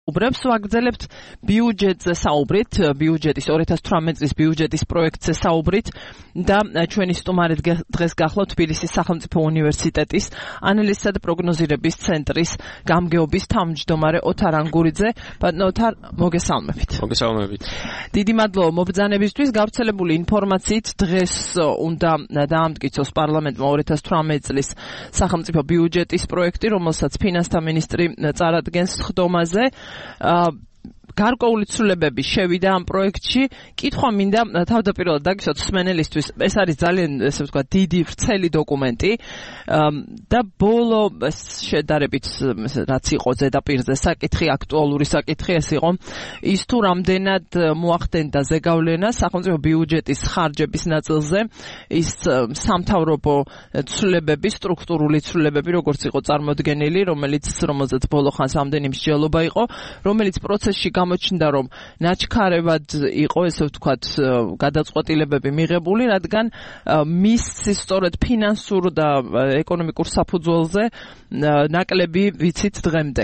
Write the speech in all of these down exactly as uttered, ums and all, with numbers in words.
უბრებს ვაგრძელებთ ბიუჯეტზე საუბრით, ბიუჯეტის ორი ათას თვრამეტი წლის ბიუჯეტის პროექტზე საუბრით და ჩვენი სტუმარი დღეს გახლავთ თბილისის სახელმწიფო უნივერსიტეტის ანალიზისა და პროგნოზირების ცენტრის გამგეობის თავმჯდომარე ოთარ ანგურიძე. ბატონო ოთარ, მოგესალმებით. მოგესალმებით. დიდი მადლობა მობრძანებისთვის. გავრცელებული ინფორმაციით დღეს უნდა დაამტკიცოს პარლამენტმა ორი ათას თვრამეტი წლის სახელმწიფო ბიუჯეტის პროექტი, რომელსაც ფინანსთა მინისტრი წარადგენს ხდომაზე. გარკვეული ცვლილებები შევიდა ამ პროექტში. კითხვა მინდა თავდაპირველად დაგისვათ მსმენელისთვის, ეს არის ძალიან ესე ვთქვათ დიდი ვრცელი დოკუმენტი და ბოლო შედარებით რაც იყო ზედაპირზე საკითხი, აქტუალური საკითხი ეს იყო ის თუ რამდენად მოახდენდა ზეგავლენა სახელმწიფო ბიუჯეტის ხარჯების ნაწილზე ის სამთავრობო ცვლილებები, სტრუქტურული ცვლილებები, როგორც იყო წარმოდგენილი, რომელიც რომელზეც ბოლო ხანს ამდენი მსჯელობა იყო, რომელიც პროცესში გამოჩნდა, რომ ნაჩქარევად იყო, ესე ვთქვათ, გადაწყვეტილებები მიღებული, რადგან მის სწორედ ფინანსურ და ეკონომიკურ საფუძველზე ნაკლები ვიცით დღემდე.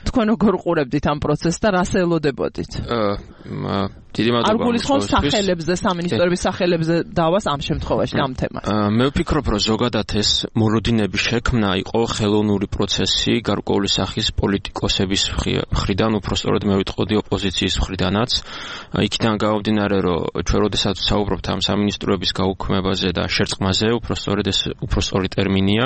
თქვენ როგორ ყურებდით ამ პროცესს და რას ელოდებოდით? დიდი მადლობა. არ გულისხმობს სახელებზე, სამინისტროების სახელებზე დავას ამ შემთხვევაში ამ თემას. მე ვფიქრობ, რომ ზოგადად ეს მოლოდინების შექმნა იყო ხელოვნური პროცესი, გარკვეული სახის პოლიტიკოსების მხრიდან, უბრალოდ მე ვიტყოდი ოპოზიციის მხრიდანაც. იქიდან გამომდინარე, რომ ჩვენ როდესაც საუბრობთ ამ სამინისტროების გაუქმებაზე და შერწყმაზე, უბრალოდ ეს უბრალოდ ტერმინია,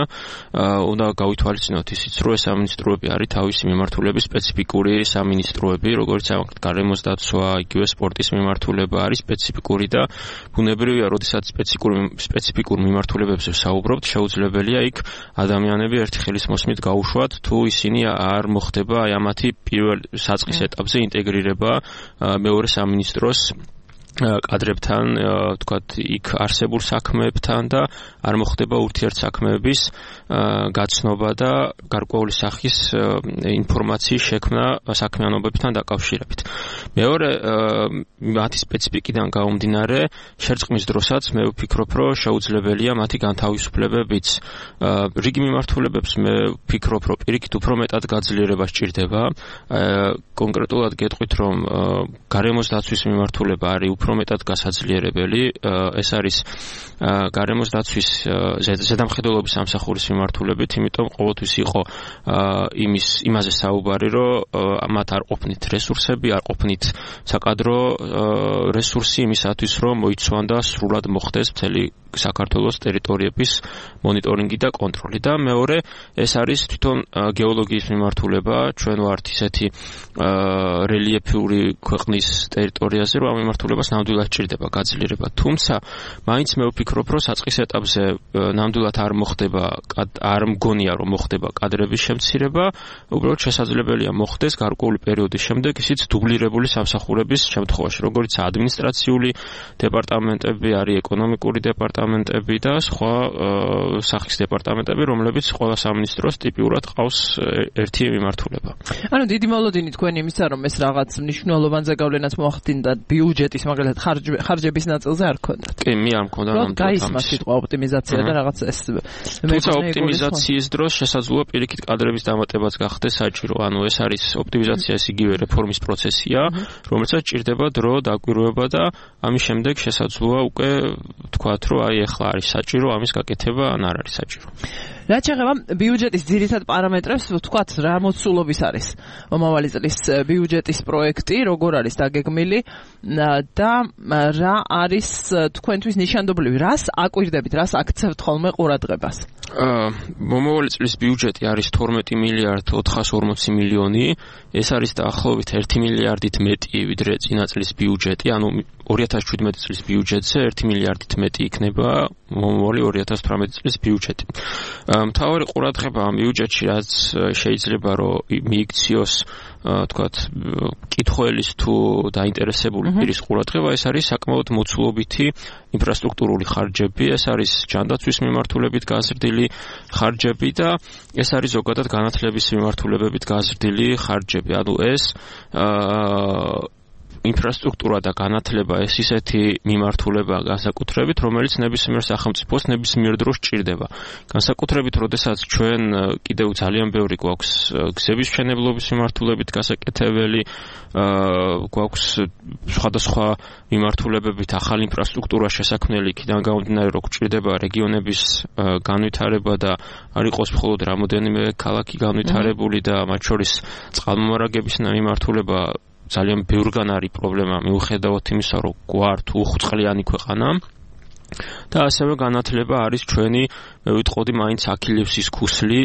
უნდა გავითვალისწინოთ ისიც, რომ ეს სამინისტროები არის თავისი მიმართულების სპეციფიკური სამინისტროები, როგორც გარემოს დაცვა, იგივე სპორტის მიმართულება არის სპეციფიკური და ბუნებრივია, როდესაც სპეციფიკურ სპეციფიკურ მიმართულებებზე საუბრობთ, შეუძლებელია იქ ადამიანები ერთი ხელის მოსმით გაუშვათ, თუ ისინი არ მოხდება აი ამათი პირველ საწყის ეტაპზე ინტეგრირება მეორე სამინისტროს კადრებთან, თქვათ, იქ არსებულ საქმეებთან და არ მოხდება ურთიერთსაქმეების გაცნობა და გარკვეული სახის ინფორმაციის შექმნა საქმიანობებთან დაკავშირებით. მეორე, მათი სპეციფიკიდან გამომდინარე, შერწყმის დროსაც მე ვფიქრობ, რომ შეუძლებელია მათი განთავისუფლებებიც. რიგი მიმართულებებს მე ვფიქრობ, რომ პირიქით უფრო მეტად გაძლიერება სჭირდება. კონკრეტულად გეტყვით, რომ გარემოს დაცვის მიმართულება არის უფრო მეტად გასაძლიერებელი. ეს არის გარემოს დაცვის ზედამხედველობის სამსახურის მიმართულებით, იმიტომ ყოველთვის იყო იმის იმაზე საუბარი, რომ მათ არ ყოფნით რესურსები, არ ყოფნით საკადრო რესურსი იმისათვის, რომ მოიცვან და სრულად მოხდეს მთელი საქართველოს ტერიტორიების მონიტორინგი და კონტროლი. და მეორე, ეს არის თვითონ გეოლოგიის მიმართულება. ჩვენ ვართ ისეთი რელიეფური ქვეყნის ტერიტორიაზე, რომ ამ მიმართულებას ნამდვილად სჭირდება გაძლიერება. თუმცა, მაინც მე ვფიქრობ, რომ საწყის ეტაპზე ნამდვილად არ მოხდება, არ მგონია, რომ მოხდება კადრების შემცირება, უბრალოდ შესაძლებელია მოხდეს გარკვეული პერიოდის შემდეგ ისიც დუბლირებული სამსახურების შემთხვევაში, როგორც ადმინისტრაციული დეპარტამენტები, არის ეკონომიკური დეპარტამენტები და სხვა სახის დეპარტამენტები, რომლებიც ყველა სამინისტროს ტიპიურად ყავს ერთი მიმართულება. ანუ დიდი მოლოდინი თქვენ იმისა, რომ ეს რაღაც მნიშვნელოვან ზეგავლენას მოახდინდა ბიუჯეტის, მაგალითად ხარჯების ნაწილზე არ ქონდათ. კი, მე არ მქონდა ნამდვილად. გაისმა სიტყვა ოპტიმიზაცია და რაღაც ეს თუმცა ოპტიმიზაციის დროს შესაძლოა პირიქით კადრების დამატებაც გახდეს საჭირო. ანუ ეს არის ოპტიმიზაცია, ეს იგივე რეფორმის პროცესია, რომელსაც სჭირდება დრო, დაკვირვება და ამის შემდეგ შესაძლოა უკვე თქვათ, რომ აი ახლა არის საჭირო ამის გაკეთება ან არ არის საჭირო. რაც შეეხება ბიუჯეტის ძირითად პარამეტრებს, ვთქვათ, რა მოცულობის არის მომავალი წლის ბიუჯეტის პროექტი, როგორ არის დაგეგმილი და რა არის თქვენთვის ნიშანდობლივი, რას აკვირდებით, რას აქცევთ ხოლმე ყურადღებას? მომავალი წლის ბიუჯეტი არის თორმეტი მილიარდ ოთხას ორმოცი მილიონი, ეს არის დაახლოებით ერთი მილიარდით მეტი ვიდრე წინა წლის ბიუჯეტი, ანუ ორი ათას შვიდმეტი წლის ბიუჯეტზე ერთი მილიარდით მეტი იქნება მომავალი ორი ათას თვრამეტი წლის ბიუჯეტი. მთავარი ყურადღება ამ ბიუჯეტში, რაც შეიძლება რომ მიიქციოს თქვათ, კითხველის თუ დაინტერესებული პირის ყურადღება, ეს არის საკმაოდ მოცულობითი ინფრასტრუქტურული ხარჯები, ეს არის ჯანდაცვის მიმართულებით გაზრდილი ხარჯები და ეს არის ზოგადად განათლების მიმართულებებით გაზრდილი ხარჯები. ანუ ეს ინფრასტრუქტურა და განათლება ეს ისეთი მიმართულებაა განსაკუთრებით, რომელიც ნებისმიერ სახელმწიფოს ნებისმიერ დროს ჭირდება. განსაკუთრებით, როდესაც ჩვენ კიდევ ძალიან ბევრი გვაქვს გზების მშენებლობის მიმართულებით გასაკეთებელი, გვაქვს სხვადასხვა მიმართულებებით ახალი ინფრასტრუქტურა შესაქმნელი, იქიდან გამომდინარე, რომ ჭირდება რეგიონების განვითარება და არ იყოს მხოლოდ რამოდენიმე ქალაქი განვითარებული და მათ შორის წყალმომარაგების მიმართულება ძალიან ბევრგან არის პრობლემა მიუხედავად იმისა, რომ გვართ უხვწყლიანი ქვეყანა და ასევე განათლება არის ჩვენი, მე ვიტყოდი, მაინც აქილევსის ქუსლი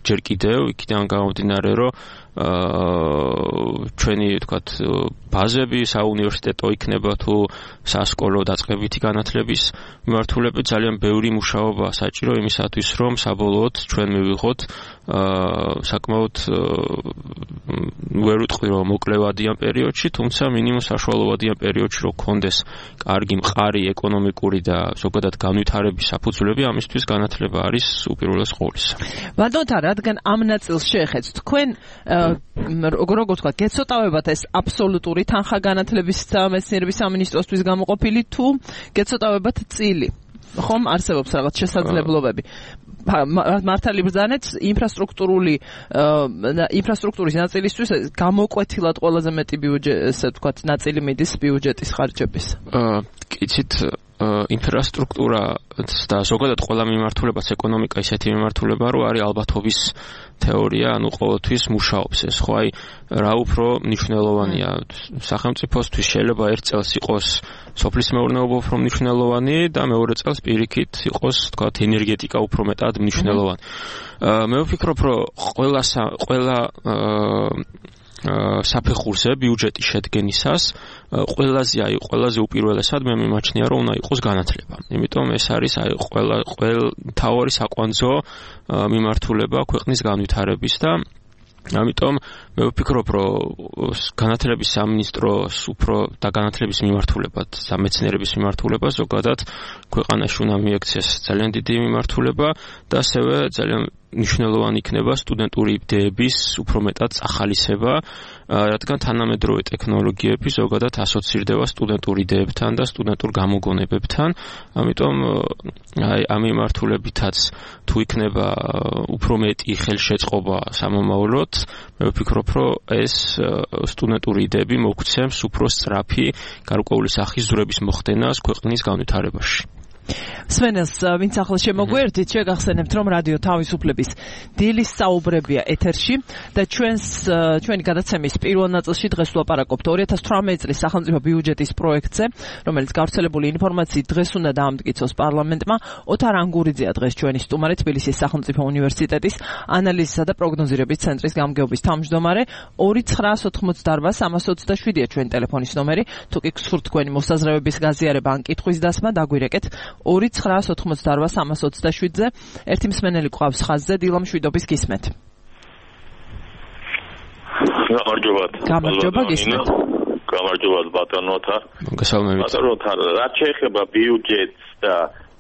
ჯერ კიდევ, იქიდან გამომდინარე, რომ ჩვენი თქვათ ბაზები საუნივერსიტეტო იქნება თუ სასკოლო დაწყებითი განათლების მიმართულებით ძალიან ბევრი მუშაობა საჭირო იმისათვის, რომ საბოლოოდ ჩვენ მივიღოთ საკმაოდ ვერ ვიტყვი რომ მოკლევადიან პერიოდში, თუმცა მინიმუმ საშუალოვადიან პერიოდში რომ გქონდეს კარგი მყარი ეკონომიკური და ზოგადად განვითარების საფუძვლები, ამისთვის განათლება არის უპირველეს ყოვლისა. ბატონთა, რადგან ამ ნაწილს შეეხეთ, თქვენ როგორ თქვა, გეცოტავებათ ეს აბსოლუტური თანხა განათლების და მეცნიერების სამინისტროსთვის გამოყოფილი თუ გეცოტავებათ წილი? ხომ არსებობს რაღაც შესაძლებლობები. მართალი ბრძანეთ ინფრასტრუქტურული ინფრასტრუქტურის ნაწილისთვის გამოკვეთილად ყველაზე მეტი ბიუჯეტი, ესე ვთქვათ, ნაწილი მიდის ბიუჯეტის ხარჯების. კიცით ინფრასტრუქტურა და ზოგადად ყველა მიმართულებას ეკონომიკა ისეთი მიმართულება, რომ არის ალბათობის თეორია, ანუ ყოველთვის მუშაობს ეს, ხო, აი რა უფრო მნიშვნელოვანია სახელმწიფოსთვის შეიძლება ერთ წელს იყოს სოფლის მეურნეობა უფრო მნიშვნელოვანი და მეორე წელს პირიქით იყოს, თქვათ, ენერგეტიკა უფრო მეტად მნიშვნელოვანი. მე ვფიქრობ, რომ ყველა ყველა საფეხურზე ბიუჯეტის შედგენისას ყველაზე აი ყველაზე უპირველესად მე მიმაჩნია რომ უნდა იყოს განათლება. იმიტომ ეს არის აი ყველა ყველა თავარი საკვანძო მიმართულება ქვეყნის განვითარების და ამიტომ მე ვფიქრობ რომ განათლების სამინისტროს უფრო და განათლების მიმართულებად, სამეცნიერების მიმართულება ზოგადად ქვეყანაში უნდა მიექცეს ძალიან დიდი მიმართულება და ასევე ძალიან მნიშვნელოვანი იქნება სტუდენტური იდეების უფრო მეტად ახალისება, რადგან თანამედროვე ტექნოლოგიები ზოგადად ასოცირდება სტუდენტურ იდეებთან და სტუდენტურ გამოგონებებთან. ამიტომ აი ამ მიმართულებითაც თუ იქნება უფრო მეტი ხელშეწყობა სამომავლოდ, მე ვფიქრობ, რომ ეს სტუდენტური იდეები მოგცემს უფრო სწრაფი გარკვეული სახის ზურების მოხდენას ქვეყნის განვითარებაში. სვენელს, ვინც ახლა შემოგვერთით, შეგახსენებთ, რომ რადიო თავისუფლების დილის საუბრებია ეთერში და ჩვენს ჩვენი გადაცემის პირველ ნაწილში დღეს ვლაპარაკობთ ორი ათას თვრამეტი წლის სახელმწიფო ბიუჯეტის პროექტზე, რომელიც გავრცელებული ინფორმაციით დღეს უნდა დაამტკიცოს პარლამენტმა. ოთარ ანგურიძეა დღეს ჩვენი სტუმარი, თბილისის სახელმწიფო უნივერსიტეტის ანალიზისა და პროგნოზირების ცენტრის გამგეობის თავმჯდომარე. ორი ცხრაას ოთხმოცდაორბა სამას ოცდაშვიდია ჩვენი ტელეფონის ნომერი. თუ კი გსურთ თქვენი მოსაზრებების გაზიარება ან კითხვის დასმა, დაგვირეკეთ ორი ცხრაას ოთხმოცდაორბა სამას ოცდაშვიდზე. ერთი მსმენელი ყავს ხაზზე, დილამ შვიდობის გისმენთ. გამარჯობათ. გამარჯობა, გისმენთ. გამარჯობათ ბატონოთა. მოგესალმებით. ბატონოთა, რაც შეეხება ბიუჯეტს და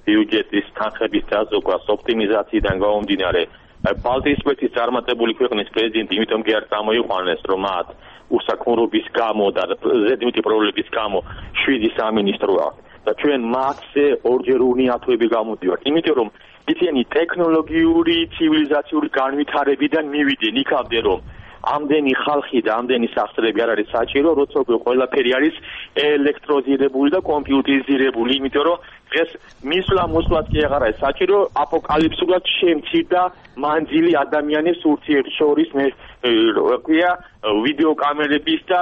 ბიუჯეტის თანხების დაზოგვას ოპტიმიზაციიდან გამომდინარე, ბალტიისპირეთის წარმატებული ქვეყნის პრეზიდენტი იმიტომ კი არ წამოიყვანეს, რომ მათ უსაქმურობის გამო და ზედმეტი პრობლემების გამო შვიდი სამინისტრო აქვს. და ჩვენ მათზე ორჯერ უნიათოები გამოდივართ, იმიტომ რომ იციანი ტექნოლოგიური, ცივილიზაციური განვითარებიდან მივიდნენ იქამდე, რომ ამდენი ხალხი და ამდენი სახსრები არ არის საჭირო, როცა უკვე ყველაფერი არის ელექტროზირებული და კომპიუტერიზირებული, იმიტომ რომ დღეს მისვლა მოსვლაც კი აღარ არის საჭირო, აპოკალიფსურად შემცირდა მანძილი ადამიანის ურთიერთშორის მე ქვია ვიდეო კამერების და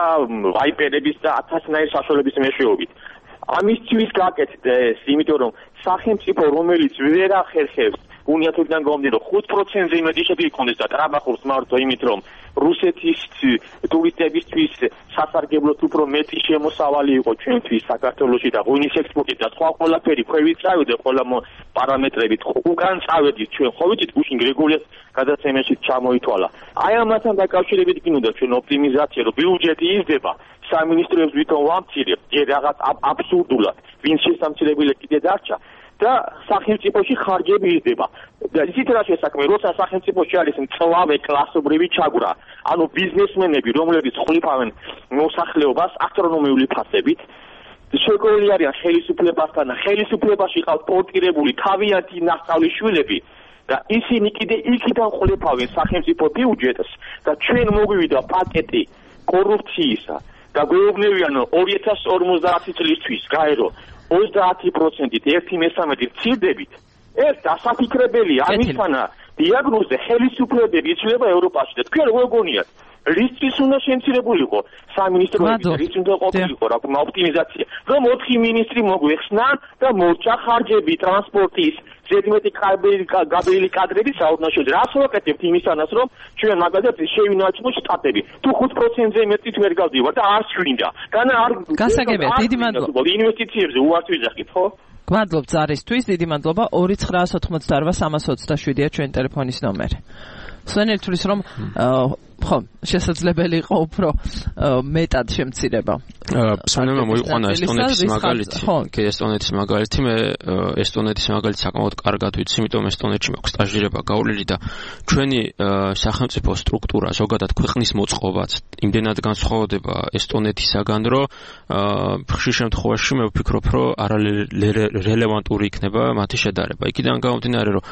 ვაიპერების და ათასნაირი საშუალების მეშვეობით. ამისთვის გაკეთდა ეს, იმიტომ რომ სახელმწიფო რომელიც ვერ ახერხებს უნიათოებიდან გამომდინარე ხუთ პროცენტზე იმედი შეგვიძლია იქონდეს და ტრაბახურს მართო იმით რომ რუსეთის ტურისტებისთვის სასარგებლოდ უფრო მეტი შემოსავალი იყო ჩვენთვის საქართველოში და ღვინის ექსპორტით და სხვა ყველაფერი ქვევით წავიდა ყველა პარამეტრებით უკან წავედით ჩვენ ხო ვიცით გუშინ გრიგოლიას გადაცემაში ჩამოითვალა აი ამასთან დაკავშირებით გინდა ჩვენ ოპტიმიზაცია რომ ბიუჯეტი იზრდება სამინისტროებს ვითომ ვამცირებთ ჯერ რაღაც აბსურდულად ვინც შესამცირებელი კიდე დარჩა და სახელმწიფოში ხარჯები იზრდება. და ისიც რა შესაქმე, როცა სახელმწიფოში არის მწვავე კლასობრივი ჩაგვრა, ანუ ბიზნესმენები, რომლებიც ხლიფავენ მოსახლეობას ასტრონომიული ფასებით, შეგოილი არიან ხელისუფლებასთან და ხელისუფლებაში ყავთ პორტირებული თავიანთი ნასწავლიშვილები და ისინი კიდე იქიდან ხლიფავენ სახელმწიფო ბიუჯეტს და ჩვენ მოგვივიდა პაკეტი კორუფციისა და გვეუბნებიან ორი ათას ორმოცდაათი წლისთვის გაერო ოცდაათი პროცენტით ერთი მესამედი მცირდებით. ეს დასაფიქრებელია ამისთანა დიაგნოზზე ხელისუფლებები იცვლება ევროპაში და თქვენ როგორ გონიათ რისთვის უნდა შემცირებულიყო სამინისტროების რის უნდა ყოფილიყო რა თქმა ოპტიმიზაცია რომ ოთხი მინისტრი მოგვეხსნა და მორჩა ხარჯები ტრანსპორტის ზედმეტი გაბეილი კადრების საერთაშორისო რას ვაკეთებთ იმისთანაც რომ ჩვენ მაგალითად შევინარჩუნოთ შტატები თუ ხუთ პროცენტზე მეტით ვერ გავდივარ და არ შევინდა განა არ გასაგებია დიდი მადლობა ინვესტიციებზე უარს ვიძახით ხო გვადლობ ზარისთვის დიდი მადლობა ორი ცხრაას ოცდაოთხმოცდაოთხ სამას ოცდაშვიდია ჩვენი ტელეფონის ნომერი სვენელი თulis რომ ხო შესაძლებელი იყო უფრო მეტად შემცირება სანამ მოიყვანა ესტონეთის მაგალითი კი ესტონეთის მაგალითი მე ესტონეთის მაგალითი საკმაოდ კარგად ვიცი იმიტომ ესტონეთში მაქვს სტაჟირება გავლილი და ჩვენი სახელმწიფო სტრუქტურა ზოგადად ქვეყნის მოწყობაც იმდენად განსხვავდება ესტონეთისაგან რომ ხშირ შემთხვევაში მე ვფიქრობ რომ არარელევანტური იქნება მათი შედარება იქიდან გამომდინარე რომ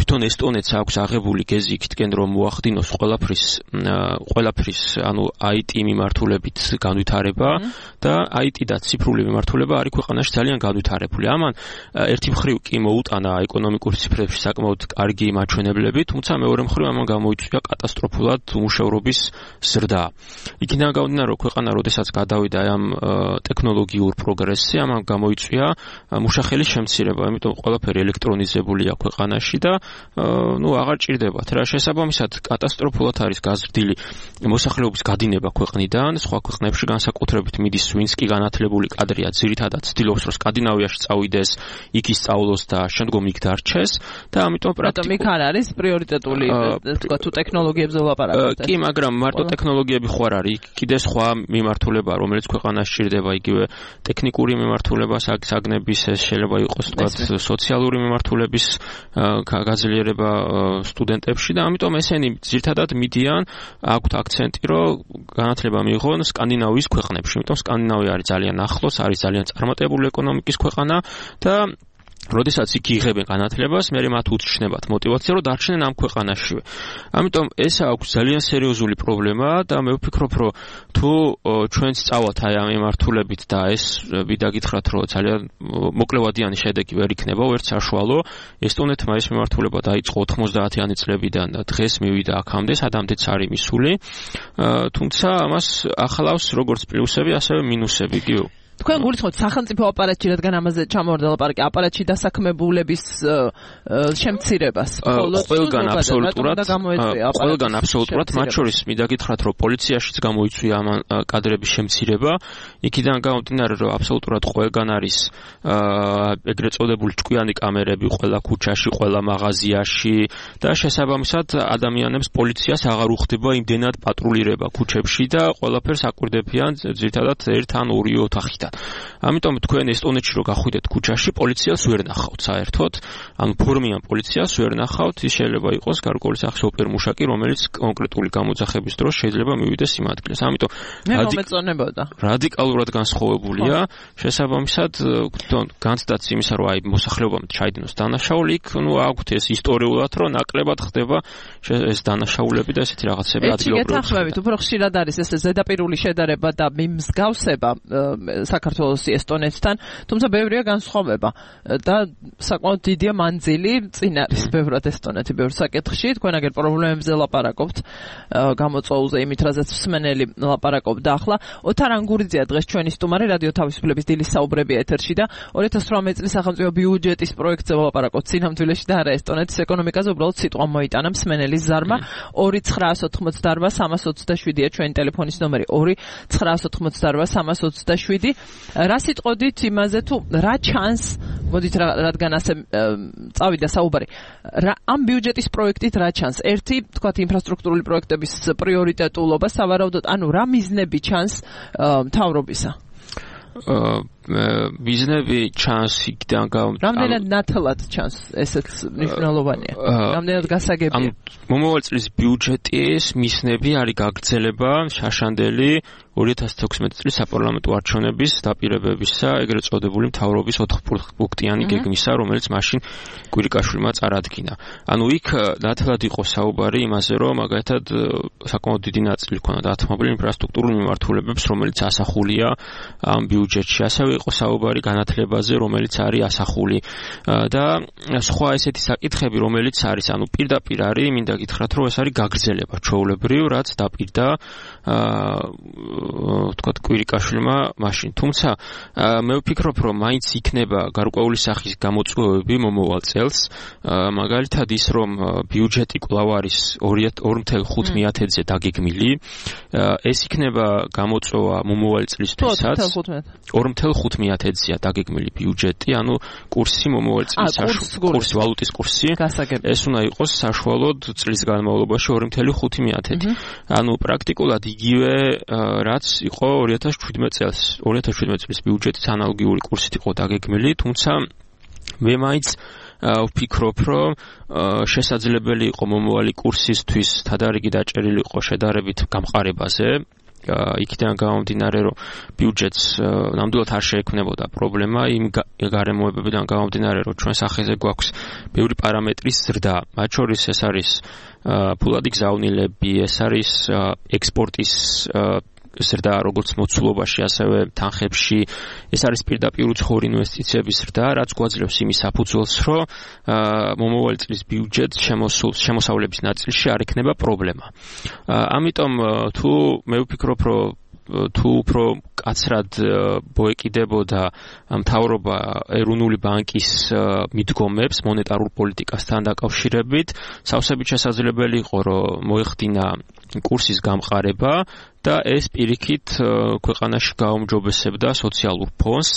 თვითონ ესტონეთს აქვს აღებული გეზი იქითკენ რომ მოახდინოს ყველაფრის ყველაფრის ანუ აი ტი მიმართულებით განვითარება და აი ტი და ციფრული მიმართულება არის ქვეყანაში ძალიან განვითარებული. ამან ერთი მხრივ კი მოუტანა ეკონომიკური ციფრებში საკმაოდ კარგი მაჩვენებლები, თუმცა მეორე მხრივ ამან გამოიწვია კატასტროფულად უმუშევრობის ზრდა. იქიდან გამომდინარე რომ ქვეყანა როდესაც გადავიდა ამ ტექნოლოგიურ პროგრესში, ამან გამოიწვია მუშახელის შემცირება, იმიტომ ყველაფერი ელექტრონიზებულია ქვეყანაში და ნუ აღარ ჭირდებათ რა შესაბამისად კატასტროფულად არის გაზრდილი მოსახლეობის გადინება ქვეყნიდან, სხვა ქვეყნებში განსაკუთრებით მიდის ვინც კი განათლებული კადრია, ძირითადად ცდილობს რომ სკანდინავიაში წავიდეს, იქ ისწავლოს და შემდგომ იქ დარჩეს და ამიტომ პრაქტიკულად იქ არ არის პრიორიტეტული თქვა თუ ტექნოლოგიებზე ვლაპარაკობთ. კი, მაგრამ მარტო ტექნოლოგიები ხო არ არის, კიდე სხვა მიმართულება, რომელიც ქვეყანაში ჭირდება, იგივე ტექნიკური მიმართულება, საგნების ეს შეიძლება იყოს თქვა სოციალური მიმართულების გაძლიერება სტუდენტებში და ამიტომ ესენი ძირითადად მიდიან აქვთ აქცენტი, რომ განათლება მიიღონ სკანდინავიის ქვეყნებში, იმიტომ სკანდინავია არის ძალიან ახლოს, არის ძალიან წარმატებული ეკონომიკის ქვეყანა და როდესაც იქ იღებენ განათლებას, მე მათ უთხრჩნებათ мотиваცია, რომ დარჩნენ ამ ქვეყანაშივე. ამიტომ ეს აქვს ძალიან სერიოზული პრობლემა და მე ვფიქრობ, რომ თუ ჩვენც წავალთ აი ამ მიმართულებით და ეს ვიდა გითხრათ, რომ ძალიან მოკლევადიანი შედეგი ვერ იქნება, ვერც საშუალო, ესტონეთმა ეს მიმართულება დაიწყო ოთხმოცდაათიანი წლებიდან და დღეს მივიდა აქამდე, სადამდეც არის მისული. თუმცა ამას ახლავს როგორც პლუსები, ასევე მინუსები, გიო. თქვენ გულისხმობთ სახელმწიფო აპარატში, რადგან ამაზე ჩამოვარდა ლაპარაკი, აპარატში დასაქმებულების შემცირებას. ყველგან აბსოლუტურად, ყველგან აბსოლუტურად, მათ შორის მინდა გითხრათ, რომ პოლიციაშიც გამოიწვია ამ კადრების შემცირება. იქიდან გამომდინარე, რომ აბსოლუტურად ყველგან არის ეგრეთ წოდებული ჭკვიანი კამერები ყველა ქუჩაში, ყველა მაღაზიაში და შესაბამისად ადამიანებს პოლიციას აღარ უხდება იმდენად პატრულირება ქუჩებში და ყველაფერს აკვირდებიან ძირითადად ერთ ან ორი ოთახიდან. ამიტომ თქვენ ესტონეთში რო გახვიდეთ ქუჩაში, პოლიციას ვერ ნახავთ საერთოდ, ანუ ფორმიან პოლიციას ვერ ნახავთ, ის შეიძლება იყოს გარკვეული სახის ოპერმუშაკი, რომელიც კონკრეტული გამოძახების დროს შეიძლება მივიდეს იმ ადგილას. ამიტომ რადიკალურად განსხვავებულია, შესაბამისად, განცდაც იმისა, რომ აი მოსახლეობამ ჩაიდინოს დანაშაული, იქ ნუ აქვთ ეს ისტორიულად, რომ ნაკლებად ხდება ეს დანაშაულები და ესეთი რაღაცები ადგილობრივად. ეს გეთანხმებით, უფრო ხშირად არის ეს ზედაპირული შედარება და მიმსგავსება საქართველოს ესტონეთთან, თუმცა ბევრია განსხვავება და საკმაოდ დიდია მანძილი წინ არის ბევრად ესტონეთი ბევრ საკითხში. თქვენ აგერ პრობლემებზე ლაპარაკობთ გამოწვეულზე, იმით რაზეც მსმენელი ლაპარაკობდა. ახლა ოთარ ანგურიძეა დღეს ჩვენი სტუმარი, რადიო თავისუფლების დილის საუბრები ეთერში და ორი ათას ოცდაოთხ წლის სახელმწიფო ბიუჯეტის პროექტზე ლაპარაკობთ სინამდვილეში და არა ესტონეთის ეკონომიკაზე, უბრალოდ სიტყვა მოიტანა მსმენელის ზარმა. ორი ცხრაას ოცდაოთხმოცდაოთხ სამას ოცდაშვიდია ჩვენი ტელეფონის ნომერი ორი ცხრაას ოცდაოთხმოცდაოთხ სამას ოცდაშვიდი. რა სიტყოდით იმაზე თუ რა ჩანს, მოდით რადგან ასე წავიდა საუბარი, ამ ბიუჯეტის პროექტით რა ჩანს? ერთი, თქვათ, ინფრასტრუქტურული პროექტების პრიორიტეტულობა, სავარაუდოდ, ანუ რა მიზნები ჩანს მთავრობისა? მიზნები ჩანს იქიდან გამომდინარე. რამდენად ნათლად ჩანს, ესეც მნიშვნელოვანია. რამდენად გასაგებია. ანუ მომავალ წლის ბიუჯეტის მიზნები არის გაგრძელება შაშანდელი ორი ათას თექვსმეტი წლის საპარლამენტო არჩევნების დაპირებებისა, ეგრეთ წოდებული მთავრობის ოთხპუნქტიანი გეგმისა, რომელიც მაშინ კვირიკაშვილმა წარადგინა. ანუ იქ ნათლად იყო საუბარი იმაზე, რომ მაგალითად საკმაოდ დიდი ნაწილი ქონდა დათმობილი ინფრასტრუქტურულ მიმართულებებს, რომელიც ასახულია ამ ბიუჯეტში. ასევე იყო საუბარი განათლებაზე, რომელიც არის ასახული და სხვა ესეთი საკითხები, რომელიც არის, ანუ პირდაპირ არის, მინდა გითხრათ, რომ ეს არის გაგრძელება ჩვეულებრივ, რაც დაპირდა ვთქვათ კვირიკაშვილმა მაშინ. თუმცა მე ვფიქრობ, რომ მაინც იქნება გარკვეული სახის გამოწვევები მომავალ წელს, მაგალითად ის, რომ ბიუჯეტი კვლავ არის ორი ათას ხუთმეათეზე დაგეგმილი, ეს იქნება გამოწვევა მომავალ წლისთვისაც. ორი ათას ხუთმეათეზეა დაგეგმილი ბიუჯეტი, ანუ კურსი მომავალ წლის კურსი, ვალუტის კურსი. ეს უნდა იყოს საშუალოდ წლის განმავლობაში ორი ათას ხუთმეათედი. ანუ პრაქტიკულად იგივე რაც იყო ორი ათას შვიდმეტი წელს. ორი ათას შვიდმეტი წლის ბიუჯეტის ანალოგიური კურსით იყო დაგეგმილი, თუმცა მე მაინც ვფიქრობ, რომ შესაძლებელი იყო მომავალი კურსისთვის თადარიგი დაჭერილი იყო შედარებით გამყარებაზე. იქიდან გამომდინარე, რომ ბიუჯეტს ნამდვილად არ შეექმნებოდა პრობლემა, იმ გარემოებებიდან გამომდინარე, რომ ჩვენ სახეზე გვაქვს ბევრი პარამეტრის ზრდა. მათ შორის ეს არის ფულადი გზავნილები, ეს არის ექსპორტის ზრდა, როგორც მოცულობაში, ასევე თანხებში, ეს არის პირდაპირ უცხოური ინვესტიციების ზრდა, რაც გვაძლევს იმის საფუძველს, რომ მომავალი წლის ბიუჯეტ შემოსავლების ნაწილში არ ექნება პრობლემა. ამიტომ თუ მე ვფიქრობ, რომ თუ უფრო კაცრად მოეკიდებოდა მთავრობა ეროვნული ბანკის მიდგომებს მონეტარულ პოლიტიკასთან დაკავშირებით, სავსებით შესაძლებელი იყო, რომ მოეხდინა კურსის გამყარება და ეს პირიქით ქვეყანაში გაუმჯობესებდა სოციალურ ფონს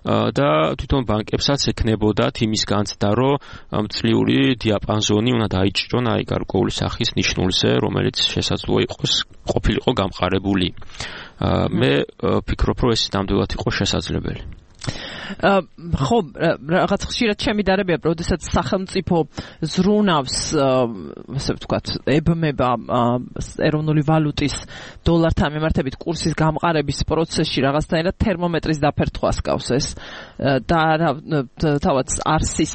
და თვითონ ბანკებსაც ექნებოდათ იმის განცდა, რომ წლიური დიაპაზონი უნდა დაიჭრონ აი გარკვეული სახის ნიშნულზე, რომელიც შესაძლოა იყოს ყოფილიყო გამყარებული. მე ვფიქრობ, რომ ეს ნამდვილად იყო შესაძლებელი. ხო, რაღაც ხშირად შემიდარებია, როდესაც სახელმწიფო ზრუნავს, ასე ვთქვათ, ებმება ეროვნული ვალუტის დოლართან მიმართებით კურსის გამყარების პროცესში რაღაცნაირად თერმომეტრის დაფერთხვას გავს ეს და თავად არსის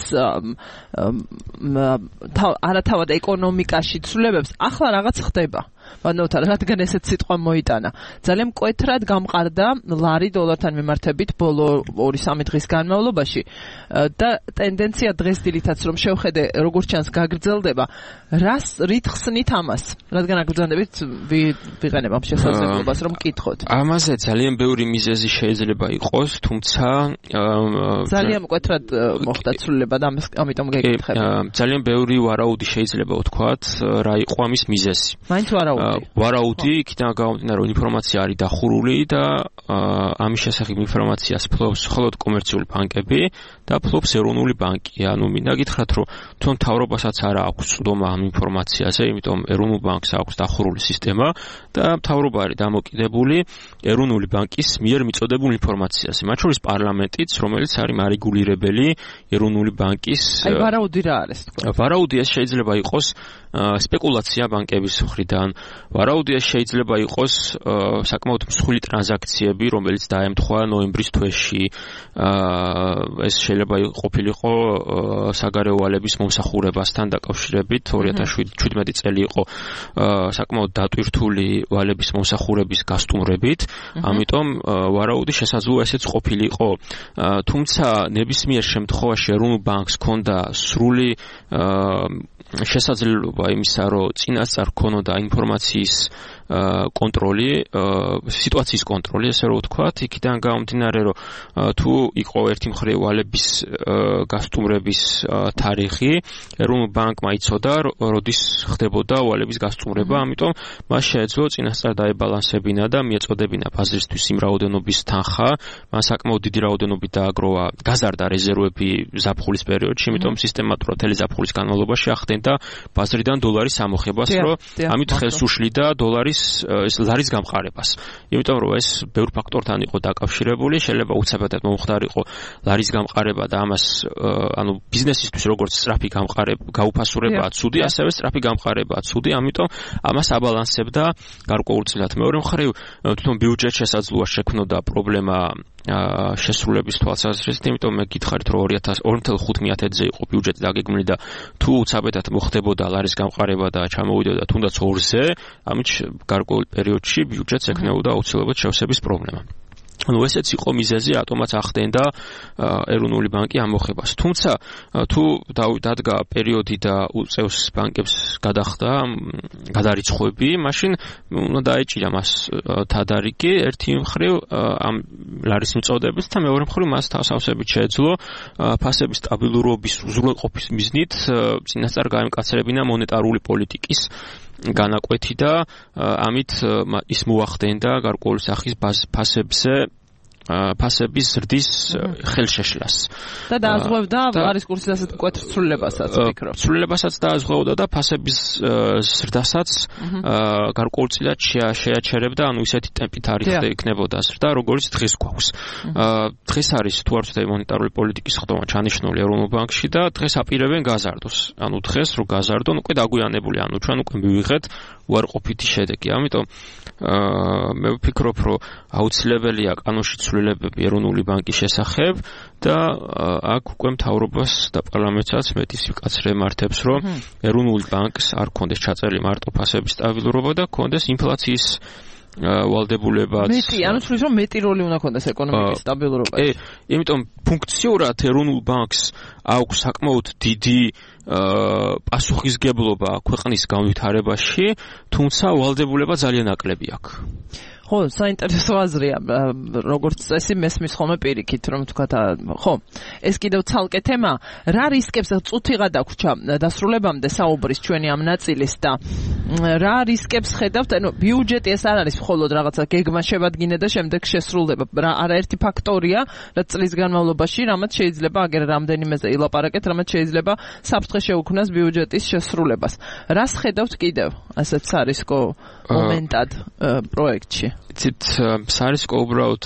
არათავად ეკონომიკაში ცვლილებებს ახლა რაღაც ხდება. ვანოთარ, რადგან ესეთ სიტყვა მოიტანა. ძალიან მკვეთრად გამყარდა ლარი დოლართან მიმართებით ბოლო ორი სამი დღის განმავლობაში და ტენდენცია დღეს დილითაც რომ შევხედე როგორც ჩანს გაგრძელდება, რას რითხსნით ამას? რადგან აგრძანდებით ვიყენებ ამ შესაძლებლობას რომ მკითხოთ. ამაზე ძალიან ბევრი მიზეზი შეიძლება იყოს, თუმცა ძალიან მკვეთრად მოხდა ცვლილება და ამიტომ გეკითხები. ძალიან ბევრი ვარაუდი შეიძლება ვთქვათ, რა იყო ამის მიზეზი. მაინც ვარაუდი ვარაუდი იქიდან გამომდინარე, რომ ინფორმაცია არის დახურული და ამის შესახებ ინფორმაციას ფლობს მხოლოდ კომერციული ბანკები და ფლობს ეროვნული ბანკი. ანუ მინდა გითხრათ, რომ თვითონ მთავრობასაც არ აქვს წვდომა ამ ინფორმაციაზე, იმიტომ ეროვნულ ბანკს აქვს დახურული სისტემა და მთავრობა არის დამოკიდებული ეროვნული ბანკის მიერ მიწოდებულ ინფორმაციაზე. მათ შორის პარლამენტიც, რომელიც არის მარეგულირებელი ეროვნული ბანკის. აი ვარაუდი რა არის თქვა? ვარაუდი ეს შეიძლება იყოს სპეკულაცია ბანკების მხრიდან. ვარაუდი ეს შეიძლება იყოს საკმაოდ მსხვილი ტრანზაქციები, რომელიც დაემთხვა ნოემბრის თვეში. ეს შეიძლება ყოფილიყო საგარეო ვალების მომსახურებასთან დაკავშირებით. ორი ათას შვიდმეტი წელი იყო საკმაოდ დატვირთული ვალების მომსახურების გასტუმრებით. ამიტომ ვარაუდი შესაძლოა ესეც ყოფილიყო. თუმცა ნებისმიერ შემთხვევაში ეროვნულ ბანკს ჰქონდა სრული შესაძლებლობა იმისა, რომ წინასწარ ქონოდა ინფორმაციის კონტროლი, სიტუაციის კონტროლი, ესე რომ ვთქვათ, იქიდან გამომდინარე, რომ თუ იყო ერთი მხრივ ვალების გასტუმრების თარიღი, ეროვნულ ბანკმა იცოდა, როდის ხდებოდა ვალების გასტუმრება, ამიტომ მას შეეძლო წინასწარ დაებალანსებინა და მიეწოდებინა ბაზრისთვის იმ რაოდენობის თანხა, მან საკმაოდ დიდი რაოდენობით დააგროვა, გაზარდა რეზერვები ზაფხულის პერიოდში, იმიტომ სისტემატურად მთელი ზაფხულის განმავლობაში ახდენდა ბაზრიდან დოლარის ამოხებას, რომ ამით ხელს უშლიდა დოლარის არის ეს ლარის გამყარებას. იმიტომ რომ ეს ბევრ ფაქტორთან იყო დაკავშირებული, შეიძლება უცებადად მომხდარიყო ლარის გამყარება და ამას ანუ ბიზნესისთვის როგორც სწრაფი გამყარება, გაუფასურებაა ცუდი, ასევე სწრაფი გამყარებაა ცუდი, ამიტომ ამას აბალანსებდა გარკვეულწილად. მეორე მხრივ თვითონ ბიუჯეტ შესაძლოა შექმნოდა პრობლემა შესრულების თვალსაზრისით, იმიტომ მე გითხარით რომ ორი ათი ხუთი ათედზე იყო ბიუჯეტი დაგეგმილი და თუ უცაბედად მოხდებოდა ლარის გამყარება და ჩამოვიდოდა თუნდაც ორზე, ამით გარკვეულ პერიოდში ბიუჯეტს ექნებოდა აუცილებლად შევსების პრობლემა. ანუ ესეც იყო მიზეზი, რატომაც ახდენდა ეროვნული ბანკი ამოხებას. თუმცა თუ დადგა პერიოდი და უწევს ბანკებს გადახდა გადარიცხვები, მაშინ უნდა დაეჭირა მას თადარიგი ერთი მხრივ ამ ლარის მიწოდებით და მეორე მხრივ მას თავსავსებით შეეძლო ფასების სტაბილურობის უზრუნველყოფის მიზნით წინასწარ გაემკაცრებინა მონეტარული პოლიტიკის განაკვეთი და ამით ის მოახდენდა გარკვეული სახის ფასებზე ფასების ზრდის ხელშეშლას. და დააზღვევდა ლარის კურსის ასეთ მკვეთრ ცვლილებასაც ვფიქრობ. ცვლილებასაც დააზღვევდა და ფასების ზრდასაც გარკვეულწილად შეაჩერებდა, ანუ ისეთი ტემპით არ იქნებოდა ზრდა, როგორც დღეს გვაქვს. დღეს არის თუ არ ვცდები მონეტარული პოლიტიკის ხდომა ჩანიშნული ეროვნულ ბანკში და დღეს აპირებენ გაზარდოს. ანუ დღეს რო გაზარდონ, უკვე დაგვიანებული, ანუ ჩვენ უკვე მივიღეთ უარყოფითი შედეგი. ამიტომ მე ვფიქრობ, რომ აუცილებელია კანონში ცვლილებები ეროვნული ბანკის შესახებ და აქ უკვე მთავრობას და პარლამენტსაც მეტის ვიკაცრე მართებს, რომ ეროვნული ბანკს არ ქონდეს ჩაწერილი მარტო ფასების სტაბილურობა და ქონდეს ინფლაციის ვალდებულებაც. მეტი, ანუ თulis რომ მეტი როლი უნდა ქონდეს ეკონომიკის სტაბილურობაში. ე, იმიტომ ფუნქციურად ეროვნულ ბანკს აქვს საკმაოდ დიდი პასუხისგებლობა ქვეყნის განვითარებაში, თუმცა ვალდებულება ძალიან ნაკლები აქვს. ხო, საინტერესო აზრია, როგორც წესი მესმის ხოლმე პირიქით, რომ თქვათ, ხო, ეს კიდევ ცალკე თემა, რა რისკებს წუთიღა დაგვრჩა დასრულებამდე საუბრის ჩვენი ამ ნაწილის და რა რისკებს ხედავთ, ანუ ბიუჯეტი ეს არ არის მხოლოდ რაღაცა გეგმა შევადგინე და შემდეგ შესრულდება, რა არაერთი ფაქტორია, რაც წლის განმავლობაში, რამაც შეიძლება აგერ რამდენიმეზე ილაპარაკეთ, რამაც შეიძლება საფრთხე შეუქმნას ბიუჯეტის შესრულებას. რას ხედავთ კიდევ ასეთ სარისკო მომენტად პროექტში? იცით, სარისკო უბრალოდ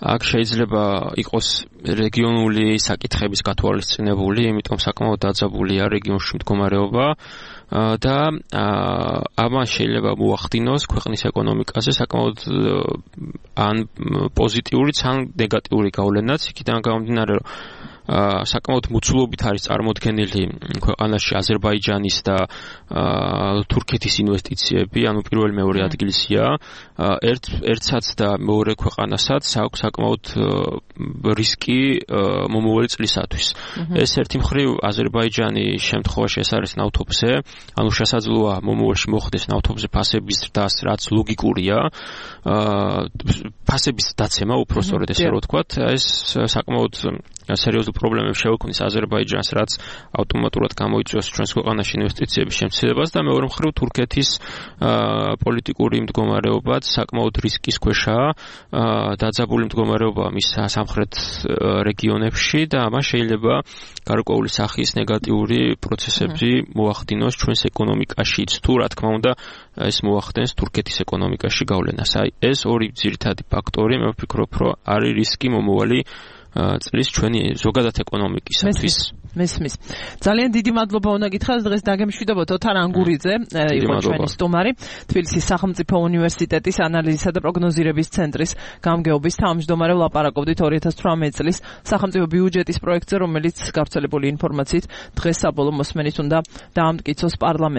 აქ შეიძლება იყოს რეგიონული საკითხების გათვალისწინებული, იმიტომ საკმაოდ დაძაბულია რეგიონში მდგომარეობა და ამან შეიძლება მოახდინოს ქვეყნის ეკონომიკაზე საკმაოდ ან პოზიტიურიც, ან ნეგატიური გავლენაც, იქიდან გამომდინარე, რომ საკმაოდ მოცულობით არის წარმოდგენილი ქვეყანაში აზერბაიჯანის და თურქეთის ინვესტიციები, ანუ პირველი მეორე ადგილისია, ერთ ერთსაც და მეორე ქვეყანასაც აქვს საკმაოდ რისკი მომავალი წლისათვის. ეს ერთი მხრივ აზერბაიჯანი შემთხვევაში ეს არის ნავთობზე, ანუ შესაძლოა მომავალში მოხდეს ნავთობზე ფასების ზრდას, რაც ლოგიკურია, ფასების დაცემა, უფრო სწორედ ესე რომ ვთქვათ, ეს საკმაოდ სერიოზულ პრობლემებს შეუქმნის აზერბაიჯანს, რაც ავტომატურად გამოიწვევს ჩვენს ქვეყანაში ინვესტიციების შემცირებას და მეორე მხრივ თურქეთის პოლიტიკური მდგომარეობაც საკმაოდ რისკის ქვეშაა, დაძაბული მდგომარეობა მის სამხრეთ რეგიონებში და ამას შეიძლება გარკვეული სახის ნეგატიური პროცესები მოახდინოს ჩვენს ეკონომიკაშიც, თუ რა თქმა უნდა ეს მოახდენს თურქეთის ეკონომიკაში გავლენას. აი ეს ორი ძირითადი ფაქტორი, მე ვფიქრობ, რომ არის რისკი მომავალი წლის ჩვენი ზოგადად ეკონომიკისათვის. მესმის. ძალიან დიდი მადლობა უნდა გითხრათ, დღეს დაგემშვიდობოთ ოთარ ანგურიძე, იყო ჩვენი სტუმარი, თბილისის სახელმწიფო უნივერსიტეტის ანალიზისა და პროგნოზირების ცენტრის გამგეობის თავმჯდომარე, ვლაპარაკობდით ორი ათას თვრამეტი წლის სახელმწიფო ბიუჯეტის პროექტზე, რომელიც გავრცელებული ინფორმაციით დღეს საბოლოო მოსმენით უნდა დაამტკიცოს პარლამენტში.